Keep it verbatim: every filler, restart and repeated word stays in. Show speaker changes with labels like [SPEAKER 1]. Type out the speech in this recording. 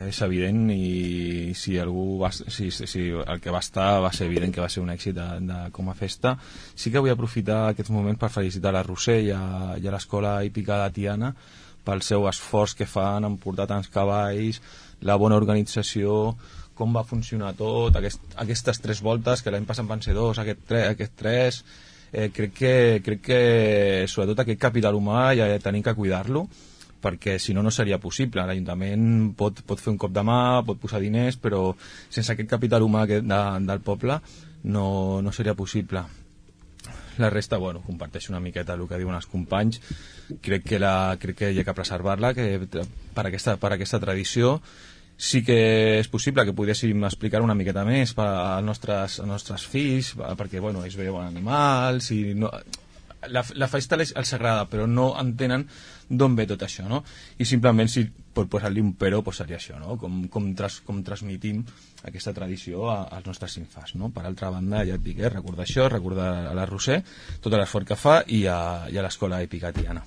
[SPEAKER 1] és evident, i si algú va, si, si el que va estar va ser evident que va ser un èxit de, de com a festa. Sí que vull aprofitar aquests moments per felicitar la Roser i a, i a l'escola hípica de Tiana pel seu esforç que fan en portar tants cavalls, la bona organització, com va funcionar tot, aquest, aquestes tres voltes, que l'any passat van ser dos, aquest, tre, aquest tres, eh, crec, que, crec que sobretot aquest capital humà ja tenim que cuidar-lo, perquè si no no seria possible. L'Ajuntament pot, pot fer un cop de mà, pot posar diners, però sense aquest capital humà de, del poble no, no seria possible. La resta, bueno, comparteixo una miqueta el que diuen els companys. Crec que, la, crec que hi ha que preservar-la, que per aquesta, per aquesta tradició. Sí que és possible que poguéssim explicar una miqueta més per als nostres, als nostres fills, perquè, bueno, ells veuen animals i no, la, la festa els agrada, però no entenen d'on ve tot això, no? I simplement, si pot posar-li un però, pues seria això, no? Com, com, tras, com transmitim aquesta tradició a, als nostres infants, no? Per altra banda, ja et dic, eh, recordar això, recordar a la Roser, tot l'esforç que fa, i a, i a l'escola hípica Tiana.